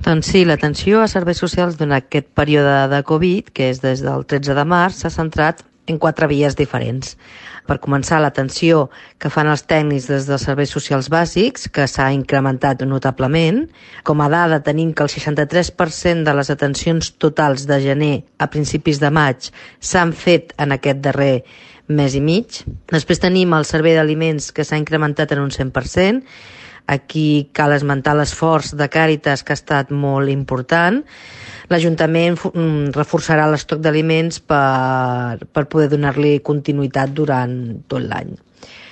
Doncs sí, l'atenció a serveis socials durant aquest període de Covid, que és des del 13 de març, s'ha centrat en 4 vies diferents. Per començar, l'atenció que fan els tècnics des dels serveis socials bàsics, que s'ha incrementat notablement. Com a dada tenim que el 63% de les atencions totals de gener a principis de maig s'han fet en aquest darrer mes i mig. Després tenim el servei d'aliments, que s'ha incrementat en un 100%. Aquí cal esmentar l'esforç de Càritas, que ha estat molt important. L'Ajuntament reforçarà l'estoc d'aliments per poder donar-li continuïtat durant tot l'any.